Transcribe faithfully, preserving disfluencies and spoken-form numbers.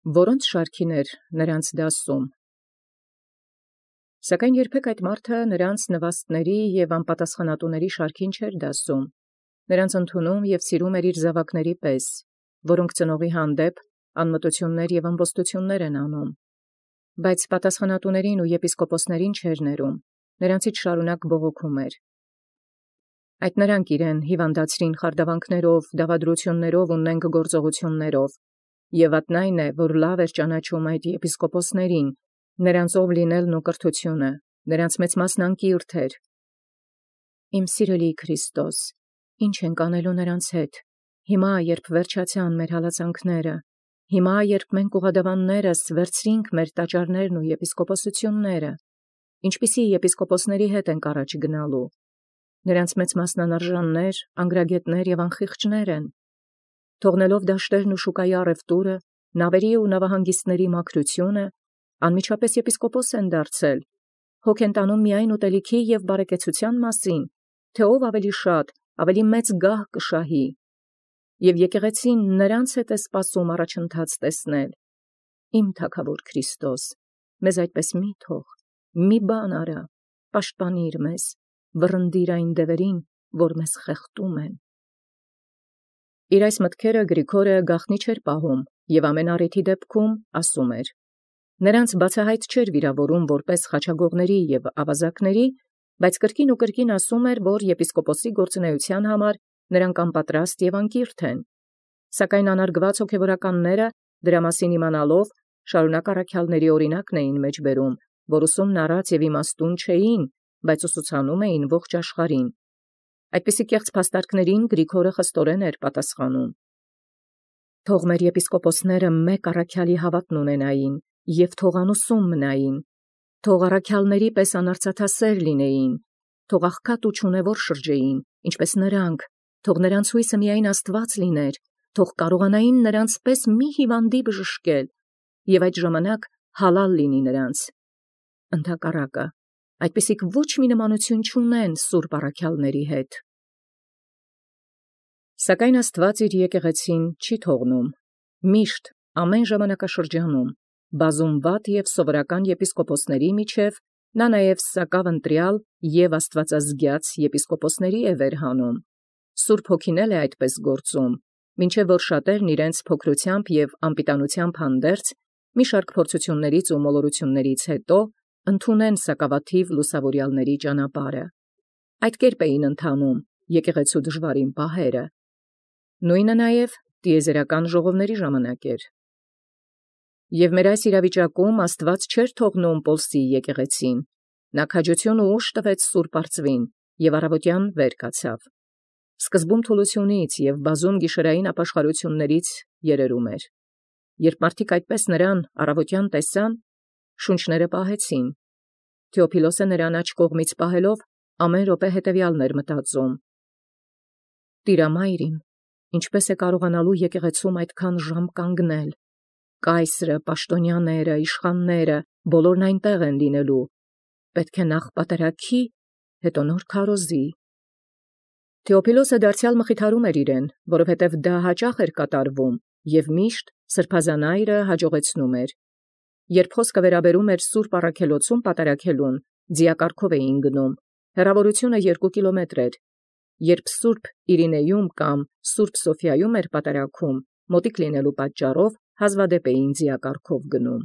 որոնց շարքին էր նրանց դասում։ Սակայն երբեք այդ մարդը նրանց նվաստների և անպատասխանատուների շարքին չէր դասում, նրանց ընդունում և սիրում էր իր զավակների պես, որոնք ծնողի հանդեպ անմտություններ և ամբոստություններ են անում, բայց պատասխանատուներին ու եպիսկոպոսներին չէր ներում, նրանցից շարունակ բողոքում էր։ Այդ նրանք իրեն հիվանդացրին խարդավանքներով, դավադրություններով ու նենգ գործողություններով, և ատն այն է, որ լավ էր ճանաչում այդ եպիսկոպոսներին, նրանցով լինելն ու կրթությունը, նրանց մեծ մասն անկիրթ էր։ Իմ սիրելի Քրիստոս, ի՞նչ ենք անելու նրանց հետ, հիմա, երբ վերջացան մեր հալածանքները, հիմա, երբ մենք ուղղադավաններս վերցրինք մեր տաճարներն ու եպիսկոպոսությունները, ինչպիսի եպիսկոպոսների հետ ենք առաջ գնալու։ Նրանց մեծ մասն անարժաններ, անգրագետներ և անխիղճներ են, թողնելով դաշտերն ու շուկայի առևտուրը, նավերի ու նավահանգիստների մաքրությունը, անմիջապես եպիսկոպոս են դարձել, հոգ են տանում միայն ուտելիքի և բարեկեցության մասին, թե ով ավելի շատ, ավելի մեծ գահ կշահի, և եկեղեցին նրանց հետ է սպասում առաջընթաց տեսնել։ Իմ թագավոր Քրիստոս, մեզ այդպես մի թող, մի բան արա, պաշտպանիր մեզ, վռնդիր այն դևերին, որ մեզ խեղդում են։ Իր այս մտքերը Գրիգորը գաղտնի չէր պահում և ամեն առիթի դեպքում ասում էր։ Նրանց բացահայտ չէր վիրավորում որպես խաչագողների և ավազակների, բայց կրկին ու կրկին ասում էր, որ եպիսկոպոսի գործունեության համար նրանք անպատրաստ և անկիրթ են։ Սակայն անարգված հոգևորականները, դրա մասին իմանալով, շարունակ առաքյալների օրինակն էին մեջ բերում, որ ուսումն առած և իմաստուն չէին, բայց ուսուցանում էին ողջ աշխարհին։ Այդպիսի կեղծ փաստարկներին Գրիգորը խստորեն էր պատասխանում։ Թող մեր եպիսկոպոսները մեկ առաքյալի հավատն ունենային և թող անուսում մնային, թող առաքյալների պես անարծաթասեր լինեին, թող աղքատ ու չունևոր շրջեին, ինչպես նրանք, թող նրանց հույսը միայն Աստված լիներ, թող կարողանային նրանց պես մի հիվանդի բժշկել, և այդ ժամանակ հալալ լինի նրանց։ Ընդհակառակը, այդպիսիք ոչ մի նմանություն չունեն սուրբ առաքյալների հետ։ Սակայն Աստված իր եկեղեցին չի թողնում։ Միշտ, ամեն ժամանակաշրջանում, բազումված և սովորական եպիսկոպոսների միջև նա նաև սակավ ընտրյալ և աստվածազգյաց եպիսկոպոսների է վերհանում։ Սուրբ Հոգին էլ է այդպես գործում, մինչև որ շատերն իրենց փոքրությամբ և անպիտանությամբ հանդերձ, մի շարք փորձություններից ու մոլորություններից հետո ընդունեն սակավաթիվ լուսավորյալների ճանապարհը։ Այդ կերպ էին ընթանում եկեղեցու դժվարին պահերը։ Նույնը նաև տիեզերական ժողովների ժամանակ էր։ Եվ մեր այս իրավիճակում Աստված չէր թողնում Պոլսի եկեղեցին։ Նա քաջություն ու ուժ տվեց Սուրբ Արծվին և առավոտյան վեր կացավ։ Սկզբում թուլությունից և բազում գիշերային ապաշխարություններից երերում էր։ Երբ մարդիկ այդպես նրան առավոտյան տեսան, շունչները պահեցին։ Թեոփիլոսը նրան աջ կողմից պահելով ամեն րոպե հետևյալն էր մտածում. «Տիրամայր իմ, ինչպես է կարողանալու եկեղեցում այդքան ժամ կանգնել։ Կայսրը, պաշտոնյաները, իշխանները, բոլորն այնտեղ են լինելու։ Պետք է նախ պատարագի, հետո նոր քարոզի»։ Թեոփիլոսը դարձյալ մխիթարում էր իրեն, որովհետև դա հաճախ էր կատարվում և միշտ սրբազան այրը հաջողեցնում էր։ Երբ խոսքը վերաբերում էր Սուրբ առաքելոցում պատարագելուն, ձիակառքով էին գնում, հեռավորությունը երկու կիլոմետր էր։ Երբ Սուրբ Իրինեում կամ Սուրբ Սոֆիայում էր պատարագում, մոտիկ լինելու պատճառով հազվադեպ էին ձիակառքով գնում։